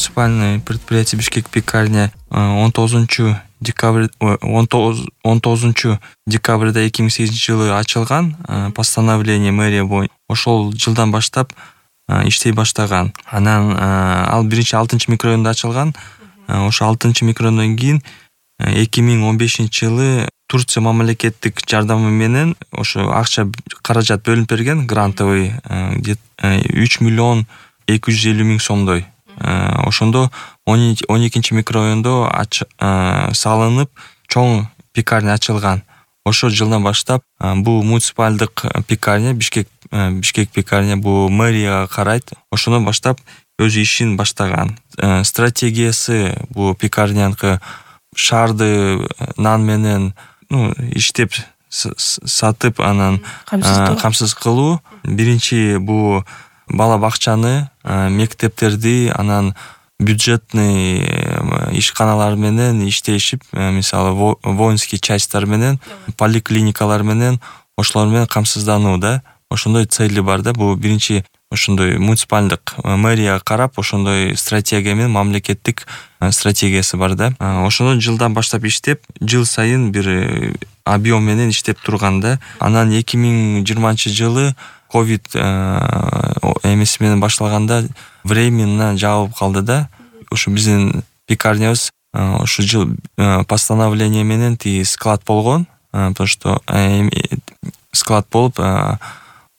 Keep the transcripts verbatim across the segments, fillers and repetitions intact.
муниципальный предприятие Бишкек пекарня он тогузунчу декабрь он тогузунчу декабрда эки миң сегизинчи жылы ачылган постановление мэрия боюнча. Ошол жылдан баштап иштей баштаган. Анан ал биринчи алтынчы микрорайонда ачылган. Ошо алтынчы микрорайондон кийин эки миң он бешинчи жылы Турция мамлекеттик жардамы менен ошо акча каражат бөлүнүп берген, грантовый үч миллион эки жүз элүү миң сомдой. Ошондо он экинчи микрорайондо салынып чоң пекарня ачылган. Ошол жылдан баштап бул муниципалдык пекарня Бишкек Бишкек пекарня бул мэрияга карайт. Ошондон баштап өз ишин баштаган. Стратегиясы бул пекарняныкы шаарды нан менен ну иштеп сатып анан камсыз кылуу. Биринчи бул бала бакчаны, мектептерди, анан бюджетный ишканалар менен иштешип, мисалы воинский частьтар менен, поликлиникалар менен ошолор менен камсыздануу да. Ошондой цели бар да. Бул биринчи ошондой муниципалдык мэрияга карап ошондой стратегия менен мамлекеттик стратегиясы бар да. Ошондон жылдан баштап иштеп, жыл сайын бир объем менен иштеп турган да. Анан эки миң жыйырманчы жылы ковид эмеси менен башталганда временно жабылып калды да. Ошо биздин пекарнябыз ошо жыл постановление менен тиги склад болгон, потому что склад болуп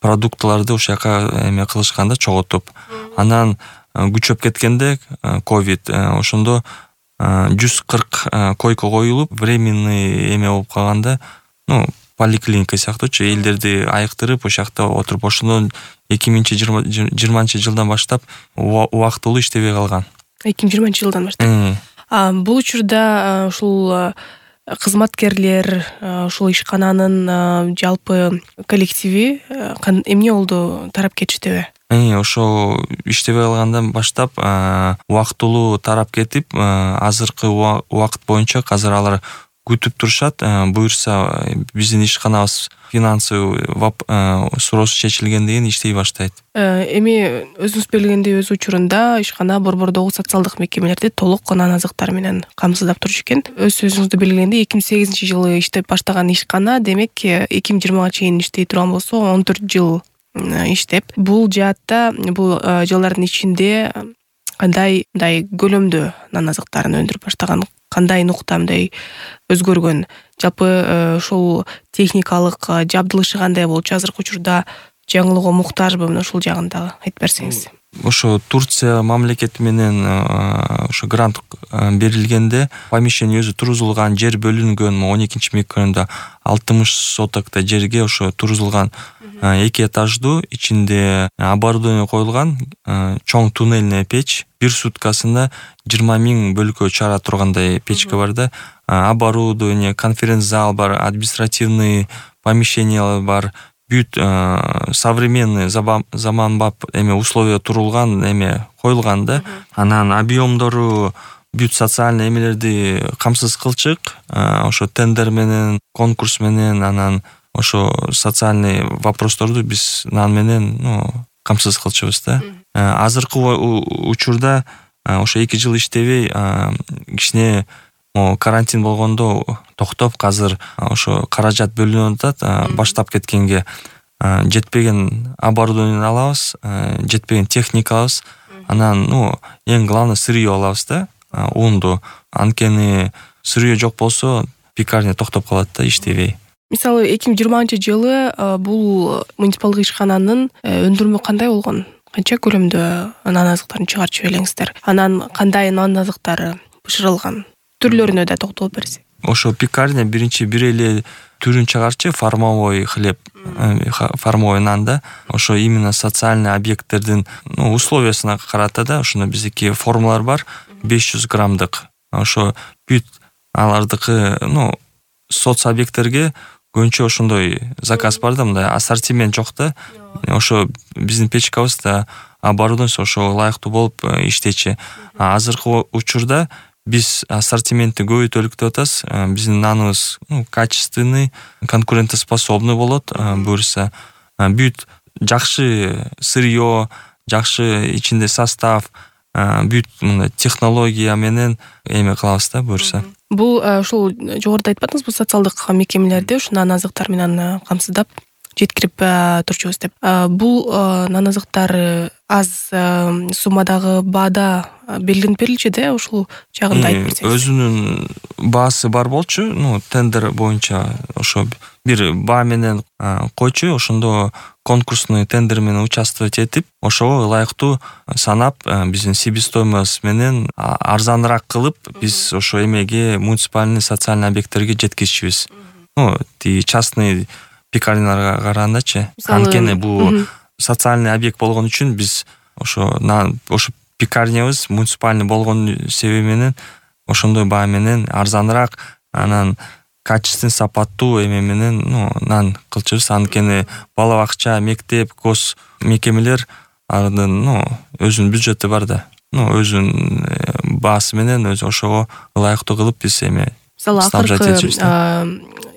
продуктларды ошол жака эме кылышканда чогултуп. Анан күчөп кеткенде ковид ошондо жүз кырк койка коюлуп, временный эме болуп калганда, ну поликлиника сыяктуучу элдерди айыктырып ошол жакта отуруп, ошондон эки миң жыйырманчы жылдан баштап убактылуу иштебей калган. эки миң жыйырманчы жылдан баштап. Бул учурда ушул кызматкерлер, ушул ишкананын жалпы коллективи эмне болду, тарап кетиштеби? Ошо иштебей калгандан баштап убактылуу тарап кетип, азыркы убакыт боюнча азыр алар күтүп турушат. Буюрса биздин ишканабыз финансовый суроосу чечилгенден кийин иштей баштайт. Эми өзүңүз белгилегендей өз учурунда ишкана борбордогу социалдык мекемелерди толук нан азыктар менен камсыздап турушу экен. Өз сөзүңүздө белгилегендей эки миң сегизинчи жылы иштеп баштаган ишкана, демек эки миң жыйырмага чейин иштей турган болсо он төрт жыл иштеп, бул жаатта бул жылдардын ичинде кандай мындай көлөмдө нан азыктарын өндүрүп баштаган, кандай нукта мындай өзгөргөн, жалпы ушул техникалык жабдылышы кандай болчу, азыркы учурда жаңылоого муктажбы, мына ушул жагында айтып берсеңиз. Ошо Турция мамлекети менен ошо грант берилгенде помещение өзү турузулган, жер бөлүнгөн. он экинчи микрорайонда алтымыш сотокто жерге ошо турузулган эки этаждуу, ичинде оборудование коюлган чоң туннельный печь. Бир суткасында жыйырма миң бөлкө чыгара тургандай печка бар да. Оборудование, конференц-зал бар, административный помещениялар бар. Бүт современный заманбап эме условия турулган эме коюлган да. Анан объемдору бүт социальный эмелерди камсыз кылчык. Ошо тендер менен, конкурс менен, анан ошо социальный вопросторду биз нан менен, ну, камсыз кылчубуз да. Азыркы учурда ошо эки жыл иштебей, кичине карантин болгондо токтоп, азыр ошо каражат бөлүнүп атат. Баштап кеткенге жетпеген оборудование алабыз, жетпеген техника алабыз. Анан, ну, эң главный сырье алабыз да, унду. Анткени сырье жок болсо пекарня токтоп калат да, иштебей. Мисалы эки миң жыйырманчы жылы бул муниципалдык ишкананын өндүрмө кандай болгон? Канча көлөмдө нан азыктарын чыгарчу элеңиздер? Анан кандай нан азыктары бышырылган? Түрлөрүнө да токтолуп берсек. Ошо пекарня биринчи бир эле түрүн чыгарчы, формовой хлеб, формовой нан да. Ошо именно социальный объекттердин условиясына карата да. Ошондо биздики формалар бар, беш жүз граммдык. Ошо бүт алардыкы, ну, соц объекттерге көбүнчө ошондой заказ бар да, мындай ассортимент жок да. Ошо биздин печкабыз да оборудованиеси ошо ылайыктуу болуп иштечи. Азыркы учурда биз ассортиментти көбөйтөлүк деп атабыз. Биздин наныбыз, ну, качественный, конкурентоспособный болот. Буюрса бүт жакшы сырье, жакшы ичинде состав, бүт мындай технология менен эме кылабыз да буюрса. Бул ушул жогоруда айтпадыңызбы, социалдык мекемелерде ушу нан азыктар менен камсыздап жеткирип турчубуз деп. Бул нан азыктар аз суммадагы баада белгиленип берилчү да, ушул жагында айтып берсеңиз. Өзүнүн баасы бар болчу, ну тендер боюнча ошо бир баа менен койчу, ошондо конкурсный тендер менен участвовать этип, ошого ылайыктуу санап, биздин себестоимость менен арзаныраак кылып, биз ошо эмеге муниципальный социальный объекттерге жеткизчүбүз. Ну, тиги частный пекарняларга карагандачы. Анткени бул социальный объект болгон үчүн биз ошо ошо пекарнябыз муниципальный болгон себеби менен ошондой баа менен арзаныраак, анан качественный, сапаттуу эме менен, ну, нан кылчубуз. Анткени бала бакча, мектеп, гос мекемелер ардын, ну, өзүнүн бюджети бар да. Ну, өзүнүн баасы менен өзү ошого ылайыктуу кылып биз эме мисалы акыркы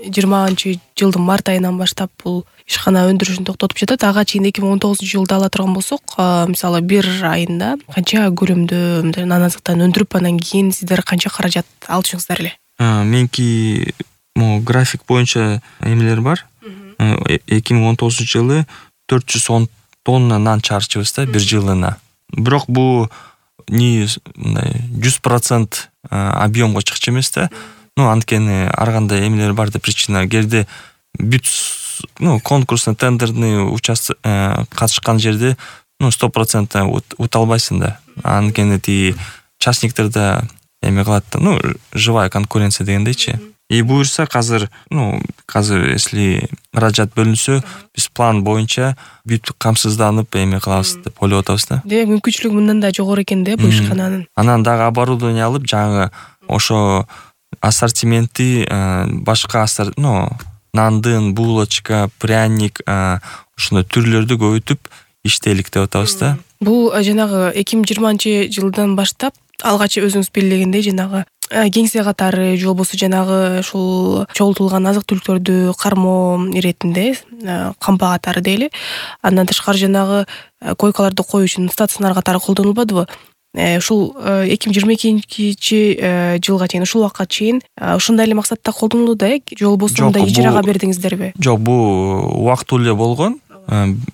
жыйырманчы жылдын март айынан баштап бул ишкана өндүрүшүн токтотуп жатат. Ага чейин эки миң он тогузунчу жылда ала турган болсок, мисалы бир айында канча көлөмдө нан азыктан өндүрүп, анан кийин сиздер канча каражат алчыңыздар эле? Меники могу график боюнча эмелер бар. эки миң он тогузунчу жылы төрт жүз он тонна нан чыгарчыбыз да бир жылына. Бирок бул не мындай жүз процент объемго чыкчу эмес да. Ну, анткени ар кандай эмелер бар да, причина. Кээде бүт, ну, конкурсный тендерный участок катышкан жерде, ну, сто процент ута албайсың да. Анткени тиги частниктерде эме кылат да, ну, живая конкуренция дегендейчи. И буюрса азыр, ну, азыр если каражат бөлүнсө, биз план боюнча бүт камсызданып эме кылабыз деп ойлоп атабыз да. Демек мүмкүнчүлүгү мындан да жогору экен да бул ишкананын. Анан дагы оборудование алып, жаңы ошо ассортименти башка, ну, нандын, булочка, пряник, ошондой түрлөрдү көбөйтүп иштейлик деп атабыз да. Бул жанагы эки миң жыйырманчы жылдан баштап алгач өзүңүз белгилегендей жанагы кеңсе катары же болбосо жанагы ушул чогултулган азык түлүктөрдү кармоо иретинде кампа катары дейли. Андан тышкары жанагы койкаларды коюу үчүн стационар катары колдонулбадыбы? Ушул эки миң жыйырма экинчи жылга чейин, ушул убакка чейин ушундай эле максатта колдонулду да, же болбосо мындай ижарага бердиңиздерби? Жок, бул убактылуу эле болгон.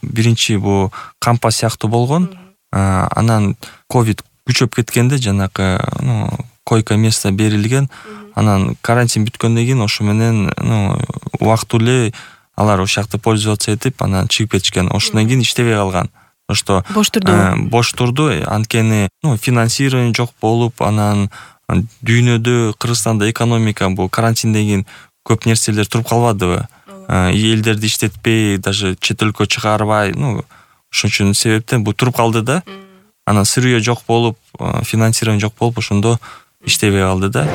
Биринчи бул кампа сыяктуу болгон. Анан ковид күчөп кеткенде жанагы, ну, койка место берилген. Анан карантин бүткөндөн кийин ошо менен, ну, убактылуу эле алар ошол жакта пользоваться этип, анан чыгып кетишкен. Ошондон кийин иштебей калган. Что бош турду. Бош турду, анткени, ну, финансирование жок болуп, анан дүйнөдө, Кыргызстанда экономика бул карантинден кийин көп нерселер туруп калбадыбы? Элдерди иштетпей, даже чет өлкө чыгарбай, ну, ошон үчүн себептен бул туруп калды да. Анан сырье жок болуп, финансирование жок болуп, ошондо иштебей калды да.